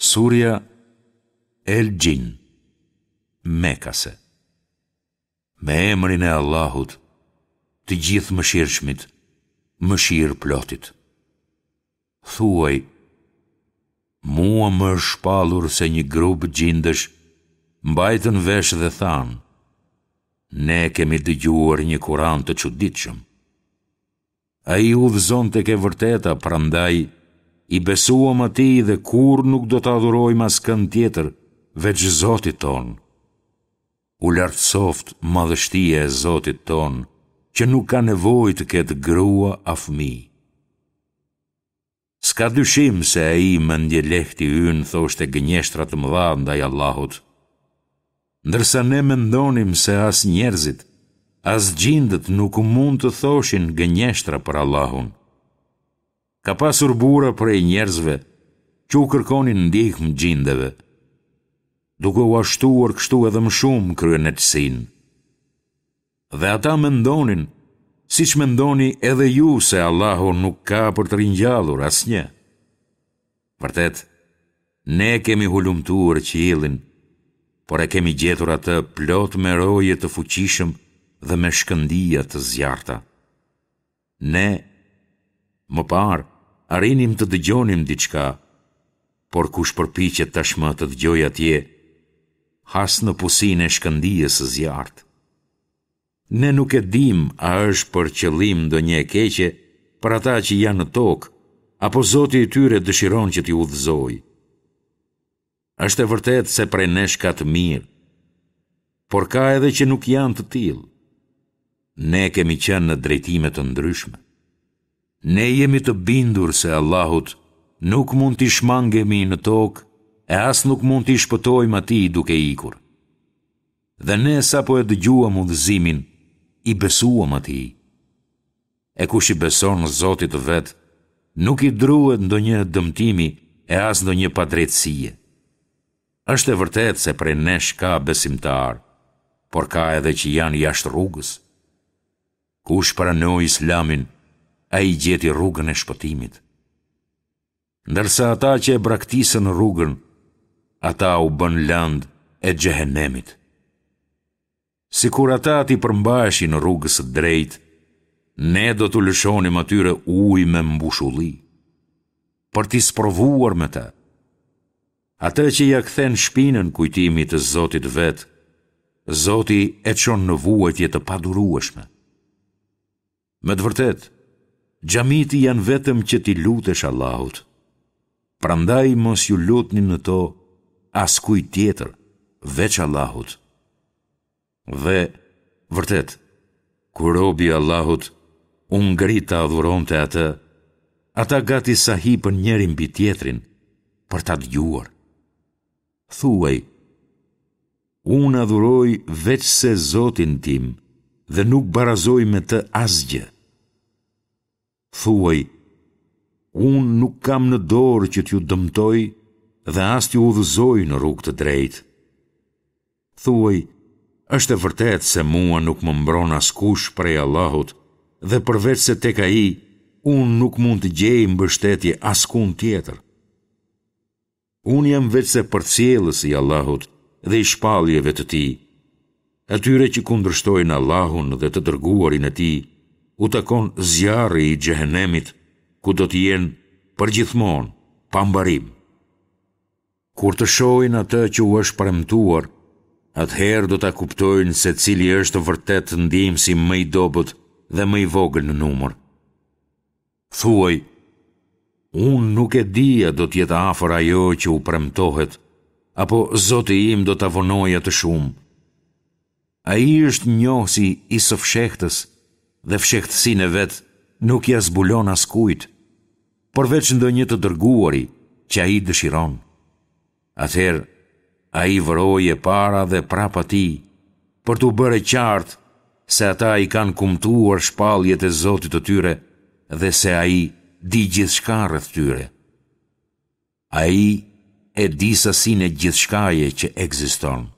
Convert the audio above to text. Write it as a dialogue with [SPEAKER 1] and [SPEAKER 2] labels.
[SPEAKER 1] Surja El Xhin, Mekase. Me emrin e Allahut, të Gjithëmëshirshmit, Mëshirëplotit. Thuaj, Mua më është shpallur se një grup xhindësh mbajtën vesh dhe thanë, Ne kemi dëgjuar një Kuran të çuditshëm. Ai udhëzon tek e vërteta, prandaj i besuam atij dhe kurrë nuk do të adhurojmë askënd tjetër veç Zotit tonë. U lartësoftë madhështia e Zotit tonë, që nuk ka nevojë të ketë grua a fëmijë. S'ka dyshim se ai mendjelehti ynë thoshte gënjeshtra të mëdha ndaj Allahut. Ndërsa ne mendonim se as njerëzit, as xhindët nuk mund të thoshin gënjeshtra për Allahun. Ka pasur burra prej njerëzve që u kërkonin ndihmë xhindeve, duke ua shtuar kështu edhe më shumë kryeneçësinë. Dhe ata mendonin, siç mendoni edhe ju se Allahu nuk ka për të ringjallur asnjë. Vërtet, ne kemi hulumtuar qiellin, por e kemi gjetur atë plot me roje të fuqishëm dhe me shkëndija të zjarrta. Ne, më parë, arrinim të dëgjonim diçka, por kush përpiqet tashmë të dëgjojë atje, has në pusinë e shkëndijës së zjarrtë. Ne nuk e dimë a është për qëllim ndonjë e keqe për ata që janë në tokë, apo Zoti i tyre dëshiron që t'i udhëzojë. Është e vërtetë se prej nesh ka të mirë, por ka edhe që nuk janë të tillë. Ne kemi qenë në drejtime të ndryshme. Ne jemi të bindur se Allahut nuk mund t'i shmangemi në tokë e as nuk mund t'i shpëtojmë atij duke ikur. Dhe ne sapo e dëgjuam udhëzimin, i besuam atij. E kush i beson Zotit të vet, nuk i druhet ndonjë dëmtimi e as ndonjë padrejtësie. Është e vërtetë se prej nesh ka besimtarë, por ka edhe që janë jashtë rrugës. Kush pranoi Islamin, ai gjeti rrugën e shpëtimit. Ndërsa ata që e braktisën rrugën, ata u bënë lëndë e xhehenemit. Sikur ata t'i përmbaheshin rrugës së drejtë, ne do t'u lëshonim atyre ujë me mbushulli, për t'i sprovuar me të. Atë që ia kthen shpinën kujtimit të Zotit të vet, Zoti e çon në vuajtje të padurueshme. Me të vërtetë, xhamitë janë vetëm që t'i lutesh Allahut. Prandaj mos iu lutni në to askujt tjetër, veç Allahut. Dhe, vërtet, kur robi i Allahut u ngrit ta adhuronte atë, ata gati sa hipën njëri mbi tjetrin për ta dëgjuar. Thuaj, Unë adhuroj veçse Zotin tim dhe nuk barazoj me të asgjë. Thuaj, Unë nuk kam në dorë që t'ju dëmtoj dhe as t'ju udhëzoj në rrugë të drejtë. Thuaj, është e vërtetë se mua nuk më mbron askush prej Allahut dhe përveçse tek Ai, unë nuk mund të gjej mbështetje askund tjetër. Unë jam veçse përcjellës i Allahut dhe i shpalljeve të Tij. Atyre që kundërshtojnë Allahun dhe të Dërguarin e Tij, u takon zjarri i Xhehenemit, ku do të jenë përgjithmonë, pa mbarim. Kur të shohin atë që u është premtuar, atëherë do ta kuptojnë se cili është vërtet ndihmësi më i dobët dhe më i vogël në numër. Thuaj, unë nuk e di a do të jetë afër ajo që u premtohet, apo Zoti im do ta vonojë atë shumë. Ai është njohësi i së fshehtës dhe fshehtësinë e vet nuk ia zbulon askujt, përveç ndonjë të dërguari që ai dëshiron. Atëherë, ai vë roje para dhe prapa tij, për t'u bërë e qartë se ata i kanë kumtuar shpalljet e Zotit të tyre dhe se ai di gjithçka rreth tyre. Ai e di sasinë e gjithçkaje që ekziston.